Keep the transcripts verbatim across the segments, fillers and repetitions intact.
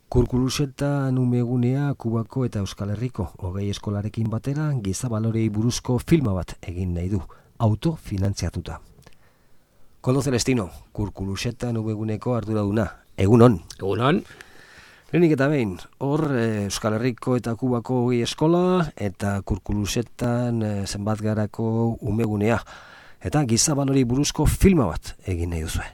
Kurkuluseta numegunea Kubako eta Euskal Herriko hogei eskolarekin batera giza balorei buruzko filma bat egin nahi du, autofinantziatuta. Koldo Celestino, Kurkuluseta numeguneko arduraduna. Egunon. Egunon. Lehenik eta behin, hor Euskal Herriko eta Kubako hogei eskola eta Kurkulusetan zenbat garako umegunea. Eta giza balorei buruzko filma bat egin nahi duzue.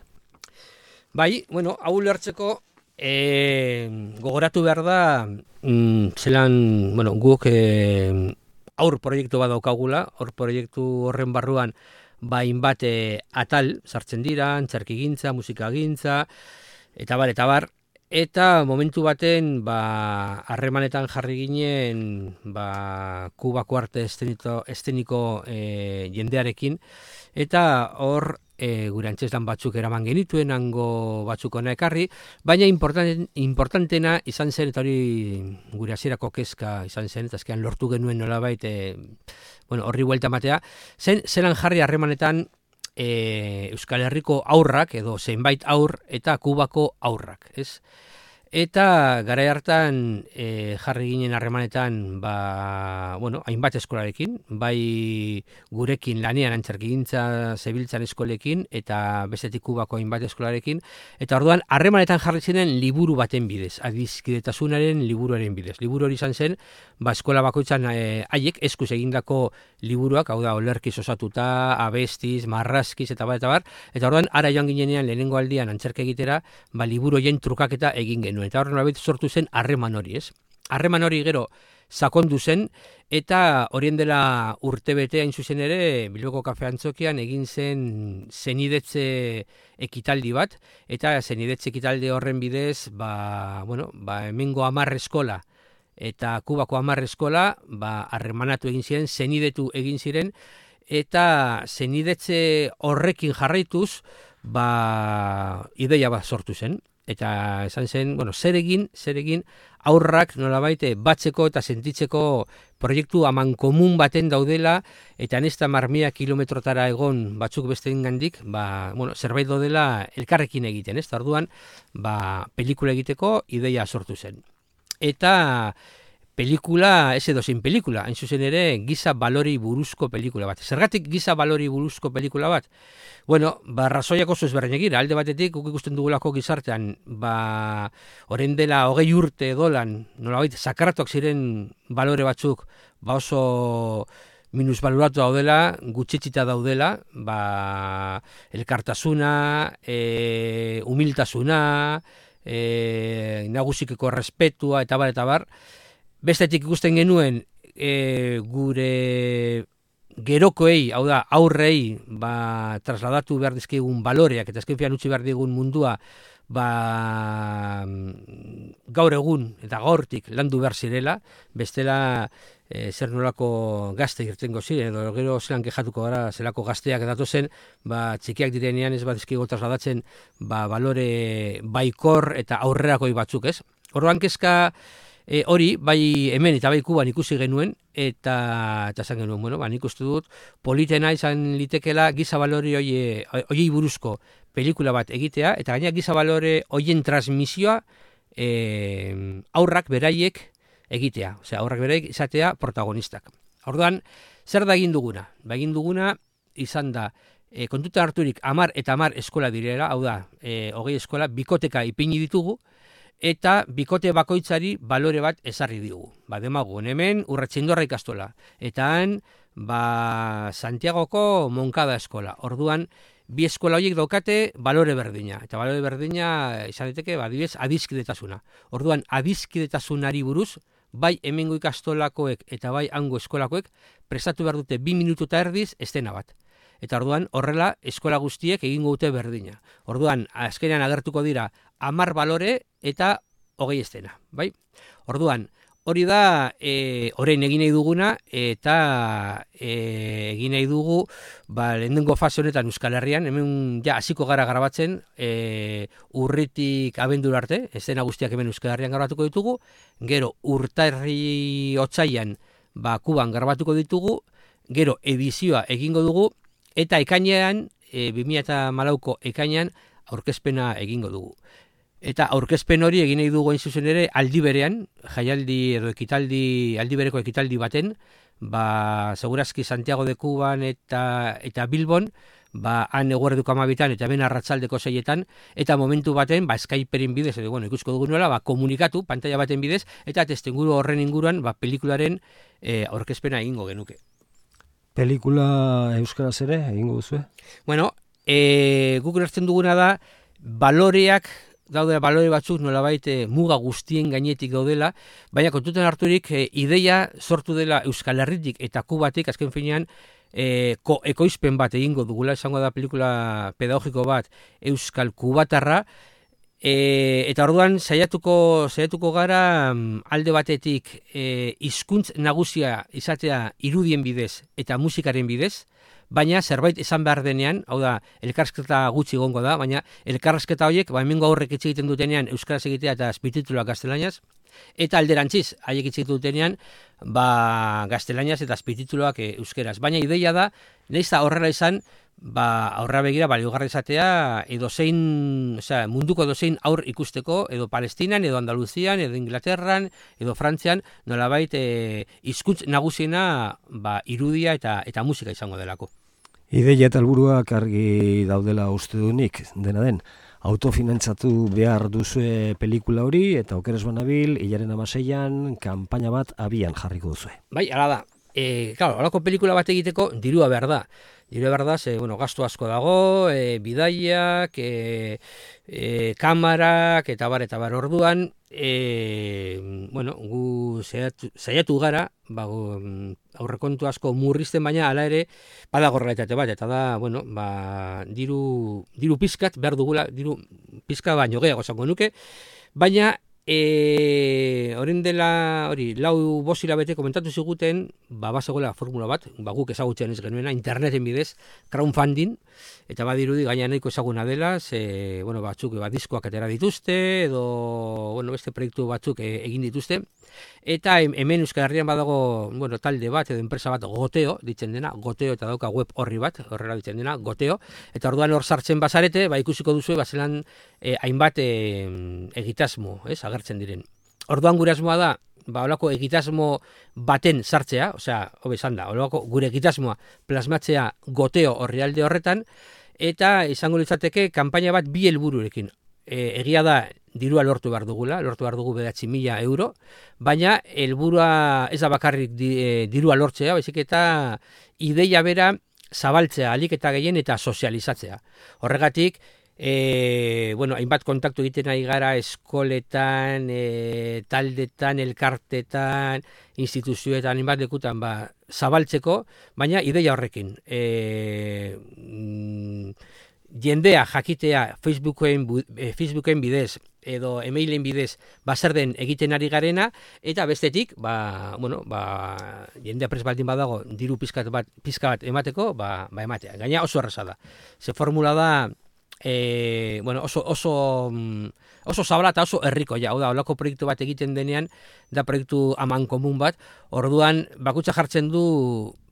Bai, bueno, hau ulertzeko E, gogoratu behar da mm, zelan, bueno, guk e, aur proiektu bat daukagula, aur proiektu horren barruan bain bat e, atal sartzen dira, antzerkigintza, musikagintza, eta bar, eta bar, eta momentu baten ba, harremanetan jarri ginen ba, Kubako arte esteniko, esteniko e, jendearekin, eta hor E, gure antzeslan batzuk eraman genituen, hango batzuk ona ekarri, baina importanten, importantena izan zen, eta hori gure hasierako kezka izan zen, eta azkean lortu genuen nolabait e, bueno, horri buelta matea, zen zelan jarri harremanetan e, Euskal Herriko aurrak, edo zenbait aur, eta Kubako aurrak, ez? Eta garai hartan e, jarri ginen harremanetan ba, bueno, hainbat eskolarekin, bai gurekin lanean antzerkigintza zebiltzan eskolekin eta bestetik Kubako hainbat eskolarekin, eta orduan harremanetan jarri ziren liburu baten bidez, adiskidetasunaren liburuaren bidez. Liburu hori izan zen, ba, eskola bakoitzan haiek e, eskuz egindako liburuak, hau da, olerkiz osatuta, abestiz, marrazkiz eta bar, eta bar, eta orduan ara joan ginenean lehenengo aldian antzerke egitera, ba, liburu horien trukaketa egin genuen. Eta horren nolabait sortu zen harreman hori, ez? Harreman hori gero sakondu zen, eta horien dela urtebete hain zuzen ere, Bilboko Kafe Antzokian egin zen zenidetze ekitaldi bat, eta zenidetze ekitaldi horren bidez, ba, bueno, ba, hemengo hamar eskola, eta Kubako hamar eskola, ba, harremanatu egin ziren, zenidetu egin ziren, eta zenidetze horrekin jarraituz, ba, ideia bat sortu zen. Eta esan zen, bueno, zer egin, zer egin aurrak nolabait batzeko eta sentitzeko proiektu amankomun baten daudela, eta nesta marmia kilometrotara egon batzuk besteen gandik, ba, bueno, zerbait daudela elkarrekin egiten, ez? Orduan, ba, pelikula egiteko ideia sortu zen. Eta pelikula, ez edo zein pelikula, hain zuzen ere giza balori buruzko pelikula bat. Zergatik giza balori buruzko pelikula bat? Bueno, ba, razoiak oso ezberdin egira. Alde batetik, guk ikusten dugulako gizartean, ba, orain dela hogei urte dolan, nolabait, sakratuak ziren balore batzuk, ba oso minusbaloratu daudela, gutxetxita daudela, ba, elkartasuna, e, humiltasuna, e, nagusikeko respetua, eta bar, eta bar. Bestetik ikusten genuen e, gure gerokoei, hau da, aurrei, ba, trasladatu behar dizkigun baloreak, eta azken fian utzi behar digun mundua, ba, gaur egun eta gaurtik landu behar zirela, bestela e, zer nolako gazte irtengo ziren, edo gero zelan kejatuko gara, zelako gazteak datozen, ba, txikiak direnean ez bat dizkigu trasladatzen, ba, balore baikor eta aurrerakoi batzuk, ez? Orduan kezka, E, hori, bai hemen eta bai Kuban ikusi genuen, eta eta esan genuen, bueno, ba, nik uste dut, politena izan litekela giza balore hoiei buruzko pelikula bat egitea, eta gaina giza balore hoien transmisioa e, aurrak beraiek egitea, osea, aurrak beraiek izatea protagonistak. Orduan, zer da egin duguna? Ba, egin duguna izan da, e, kontuta harturik hamar eta hamar eskola direla, hau da, e, hogei eskola, bikoteka ipini ditugu, eta bikote bakoitzari balore bat ezarri digu. Ba, demagun, hemen Urratxindorra ikastola. Eta han, ba, Santiagoko Moncada eskola. Orduan, bi eskola horiek daukate balore berdina. Eta balore berdina izan daiteke, ba, adibidez, adiskidetasuna. Orduan, adiskidetasunari buruz, bai hemengo ikastolakoek eta bai hango eskolakoek prestatu behar dute bi minutu eta erdiz estena bat. Eta orduan, horrela, eskola guztiek egingo dute berdina. Orduan, azkenean agertuko dira hamar balore eta hogei estena, bai? Orduan, hori da, e, orain egin nahi duguna, eta e, egin nahi dugu, ba, lehenengo fase honetan Euskal Herrian, hemen ja hasiko gara grabatzen, e, urritik abendur arte, estena guztiak hemen Euskal Herrian grabatuko ditugu, gero urtarri otsailean, ba, Kuban grabatuko ditugu, gero edizioa egingo dugu, eta ekainean, e, bi mila hamalauko ekainean, aurkezpena egingo dugu. Eta aurkezpen hori egin nahi dugu hain zuzen ere aldi berean, jaialdi edo ekitaldi, aldi bereko ekitaldi baten, ba, segurazki Santiago de Cuban eta, eta Bilbon, ba, han eguerduko amabitan eta ben arratsaldeko seietan, eta momentu baten, ba, Skyperen bidez, edo, bueno, ikusko dugu nola, ba, komunikatu, pantalla baten bidez, eta testenguru horren inguruan, ba, pelikularen e, aurkezpena egingo genuke. Pelikula euskaraz ere egingo duzu? Bueno, e, guk hartzen duguna da, baloreak, daude balore batzuk nolabait e, muga guztien gainetik gaudela, baina kontutan harturik e, ideia sortu dela Euskal Herritik eta Kubatik, azken finean, e, ko, ekoizpen bat egingo dugula, esango da pelikula pedagogiko bat Euskal Kubatarra, e, eta orduan saiatuko, saiatuko gara alde batetik e, hizkuntz nagusia izatea irudien bidez eta musikaren bidez, baina zerbait esan behar denean, hau da, elkarrizketa gutxi gongo da, baina elkarrizketa horiek, ba, hemengo aurrek hitz egiten dutenean euskaraz egitea eta azpitituluak gaztelaniaz, eta alderantziz, haiek hitz egiten dutenean, ba, gaztelaniaz eta azpitituluak e, euskeraz. Baina ideia da, nahiz da horrela izan, ba, aurra begira baliogarri izatea edo zein, osea, munduko dozein aur ikusteko, edo Palestinan, edo Andaluzian, edo Inglaterran, edo Frantzian, nolabait e, hizkuntz nagusiena ba, irudia eta eta musika izango delako. Ideia eta helburuak argi daudela uste dunik, dena den, autofinantzatu behar duzue pelikula hori, eta okeres banabil, hilaren amaseian, kanpaina bat abian jarriko duzue. Bai, ala da. E, claro, holako pelikula bat egiteko dirua behar da. Dirua behar da, ze, bueno, gastu asko dago, e, bidaiak, e, e, kamarak, eta bar, eta bar orduan, e, bueno, gu saiatu, saiatu gara, ba, gu, aurrekontu asko murrizten, baina hala ere, badago realitate bat, eta da, bueno, ba, diru, diru pizkat behar dugula, diru pizka baino gehiago esango nuke, baina, E, oren dela, hori, lau bosila bete komentatu ziguten, ba, bazegoela formula bat, ba, guk ezagutzen ez genuena, interneten bidez, crowdfunding, eta badirudi gaina nahiko ezaguna dela, ze, bueno, batzuk, ba, diskoak atera dituzte, edo, bueno, beste proiektu batzuk e, egin dituzte, eta hemen Euskal Herrian badago, bueno, talde bat, edo enpresa bat, Goteo, ditzen dena, Goteo, eta dauka web horri bat, horrela ditzen dena, Goteo, eta orduan hor sartzen bazarete, ba, ikusiko duzu, bazelan, e, hainbat e, egitasmo, ez, agertzen diren. Orduan gure asmoa da, ba, olako egitasmo baten sartzea, osea, hobe esan da, olako gure egitasmoa plasmatzea Goteo orrialde horretan, eta izango litzateke kanpaina bat bi helbururekin. E, egia da, dirua lortu behar dugula, lortu behar dugu bederatzi mila euro, baina helburua ez da bakarrik di, e, dirua lortzea, baizik eta ideia bera zabaltzea, alik eta gehien eta sozializatzea. Horregatik, E, bueno, hainbat kontaktu egiten ari gara eskoletan, e, taldetan, elkartetan, instituzioetan, hainbat lekutan ba, zabaltzeko, baina ideia horrekin. E, mm, jendea jakitea Facebooken, e, Facebooken bidez edo emailen bidez ba, zer den egiten ari garena, eta bestetik, ba, bueno, ba, jendea prest baldin badago diru pizka bat, pizka bat emateko, ba, ba ematea. Gaina oso erraza da. Ze formula da, E, bueno, oso, oso, oso zabala eta oso herriko, ja, hau da, holako proiektu bat egiten denean, da proiektu aman komun bat, orduan bakutsa jartzen du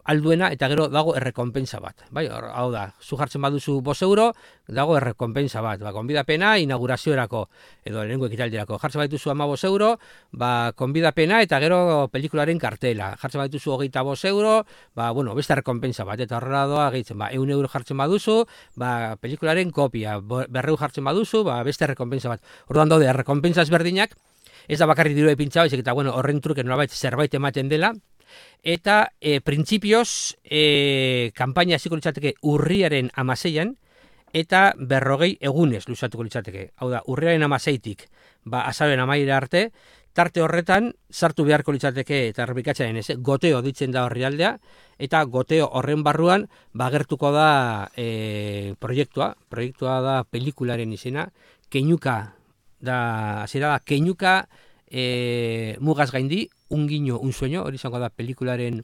alduena eta gero dago errekonpensa bat. Bai, hau da, zu jartzen baduzu bost euro, dago errekonpensa bat. Ba, konbidapena inaugurazioerako edo lehenengo ekitaldirako. Jartzen badituzu hamabost euro, ba, konbidapena eta gero pelikularen kartela. Jartzen badituzu hogeita bost euro, ba, bueno, beste errekonpensa bat. Eta horrela doa gehitzen, ba, ehun euro jartzen baduzu, ba, pelikularen kopia. Berreu jartzen baduzu, ba, beste errekonpensa bat. Orduan daude, errekonpensa ezberdinak, ez da bakarrik diru epintza, baizik eta, bueno, horren truke nolabait zerbait ematen dela. Eta e, printzipioz e, kanpaina hasiko litzateke urriaren amaseian eta berrogei egunez luzatuko litzateke. Hau da, urriaren amaseitik ba, azaroen amaira arte, tarte horretan sartu beharko litzateke eta errepikatzen ez, Goteo ditzen da horrialdea, eta Goteo horren barruan bagertuko da e, proiektua, proiektua da pelikularen izena, Keinuka, da, zera da, Keinuka e, mugaz gaindi, un guiño, un sueño, hori izango da pelikularen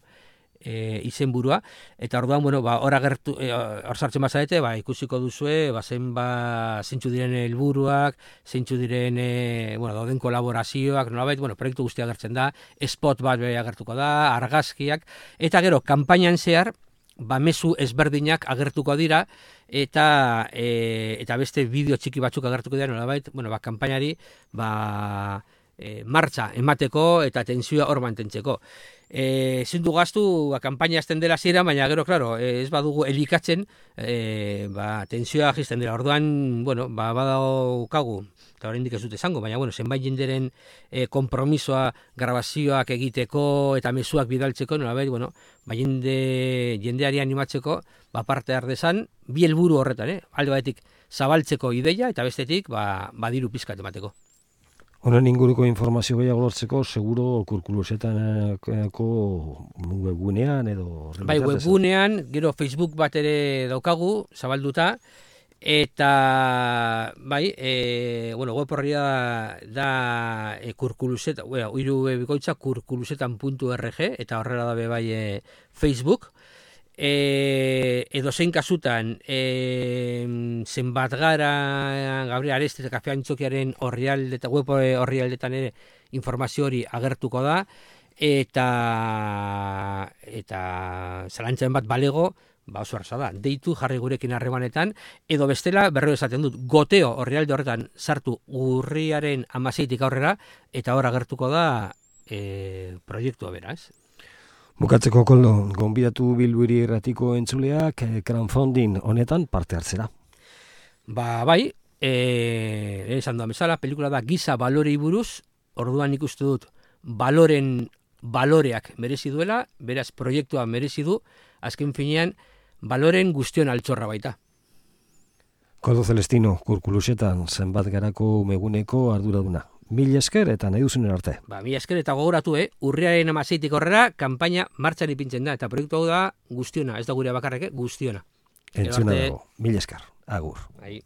e, izenburua, eta orduan, bueno, ba, hor agertu, e, hor sartzen bazarete, ba, ikusiko duzue, ba, zen, ba, zeintzu diren helburuak, zeintzu diren, e, bueno, dauden kolaborazioak, nolabait, bueno, proiektu guztia agertzen da, spot bat be agertuko da, argazkiak, eta gero, kanpainan zehar, ba, mezu ezberdinak agertuko dira, eta e, eta beste bideo txiki batzuk agertuko dira, nolabait, bueno, ba, kanpainari ba, e, martxa emateko eta tentsioa hor mantentzeko. E, zindu gaztu, ba, kanpaina azten dela zira, baina gero, klaro, ez badugu elikatzen, e, ba, tentsioa jisten dela. Orduan, bueno, ba, badaukagu, eta oraindik ez dut esango, baina, bueno, zenbait jenderen e, konpromisoa, grabazioak egiteko eta mezuak bidaltzeko, nolabait, bueno, ba, jende, jendeari animatzeko, ba, parte har dezan, bi helburu horretan, eh? Alde batetik zabaltzeko ideia, eta bestetik, ba, badiru pizkat emateko. Honen inguruko informazio gehiago lortzeko, seguro kurkulusetaneko webgunean edo... Bai, webgunean, gero Facebook bat ere daukagu, zabalduta, eta bai, e, bueno, web horria da, da e, kurkuluseta, bueno, hiru bikoitza kurkulusetan puntu org, eta horrela dabe bai e, Facebook. E, edo zein kasutan e, zenbat gara Gabriel Areste eta Kafe Antzokiaren orrialde eta web orrialdetan ere informazio hori agertuko da, eta eta zalantzen bat balego, ba oso erraza da, deitu jarri gurekin harremanetan, edo bestela berriro esaten dut, goteo orrialde horretan sartu urriaren hamaseitik aurrera, eta hor agertuko da e, proiektua beraz. Bukatzeko Koldo, gonbidatu Bilburi Irratiko entzuleak crowdfunding honetan parte hartzera. Ba, bai, e, esan da bezala, pelikula da giza balorei buruz, orduan ikustu dut baloren baloreak merezi duela, beraz proiektua merezi du, azken finean baloren guztion altxorra baita. Koldo Celestino, kurkulusetan zenbat garako meguneko arduraduna. Mil esker eta nahi duzunen arte. Ba, mil esker eta gogoratu, eh? Urriaren hamaseitik horrela, kanpaina martxan ipintzen da, eta proiektu hau da guztiona, ez da gure bakarrek, guztiona. Entzuna dago, mil esker, agur. Ai.